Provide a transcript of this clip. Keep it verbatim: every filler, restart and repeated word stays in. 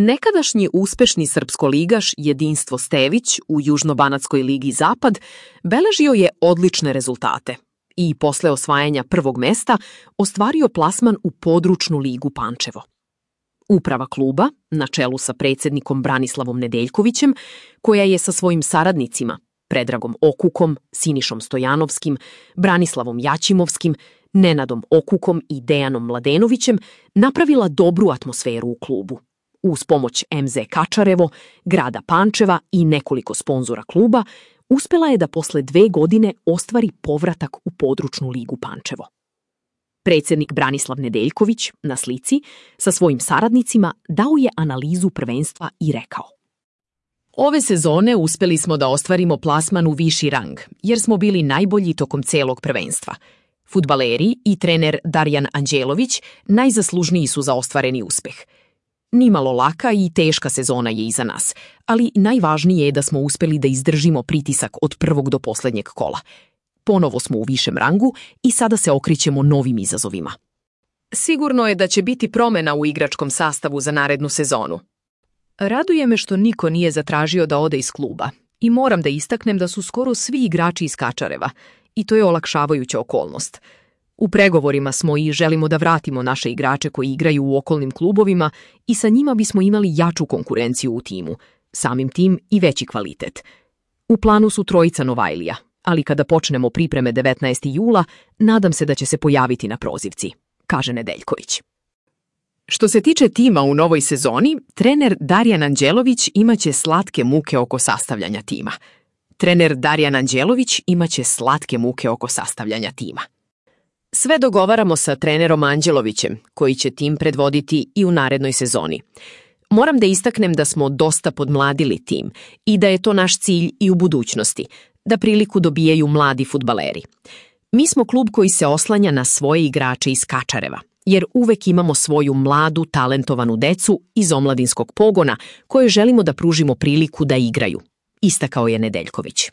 Nekadašnji uspešni srpskoligaš Jedinstvo Stević u Južnobanatskoj ligi Zapad beležio je odlične rezultate i posle osvajanja prvog mesta ostvario plasman u područnu ligu Pančevo. Uprava kluba, na čelu sa predsednikom Branislavom Nedeljkovićem, koja je sa svojim saradnicima Predragom Okukom, Sinišom Stojanovskim, Branislavom Jaćimovskim, Nenadom Okukom i Dejanom Mladenovićem, napravila dobru atmosferu u klubu. Uz pomoć em ze Kačarevo, grada Pančeva i nekoliko sponzora kluba, uspela je da posle dve godine ostvari povratak u područnu ligu Pančevo. Predsednik Branislav Nedeljković, na slici, sa svojim saradnicima dao je analizu prvenstva i rekao: Ove sezone uspeli smo da ostvarimo plasman u viši rang, jer smo bili najbolji tokom celog prvenstva. Fudbaleri i trener Darjan Anđelović najzaslužniji su za ostvareni uspeh. Nimalo laka i teška sezona je iza nas, ali najvažnije je da smo uspeli da izdržimo pritisak od prvog do poslednjeg kola. Ponovo smo u višem rangu i sada se okrećemo novim izazovima. Sigurno je da će biti promena u igračkom sastavu za narednu sezonu. Raduje me što niko nije zatražio da ode iz kluba i moram da istaknem da su skoro svi igrači iz Kačareva i to je olakšavajuća okolnost. U pregovorima smo i želimo da vratimo naše igrače koji igraju u okolnim klubovima i sa njima bismo imali jaču konkurenciju u timu, samim tim i veći kvalitet. U planu su trojica Novajlija, ali kada počnemo pripreme devetnaestog jula, nadam se da će se pojaviti na prozivci, kaže Nedeljković. Što se tiče tima u novoj sezoni, trener Darjan Anđelović imaće slatke muke oko sastavljanja tima. Trener Darjan Anđelović imaće slatke muke oko sastavljanja tima. Sve dogovaramo sa trenerom Anđelovićem, koji će tim predvoditi i u narednoj sezoni. Moram da istaknem da smo dosta podmladili tim i da je to naš cilj i u budućnosti, da priliku dobijaju mladi fudbaleri. Mi smo klub koji se oslanja na svoje igrače iz Kačareva, jer uvek imamo svoju mladu, talentovanu decu iz omladinskog pogona koje želimo da pružimo priliku da igraju, istakao je Nedeljković.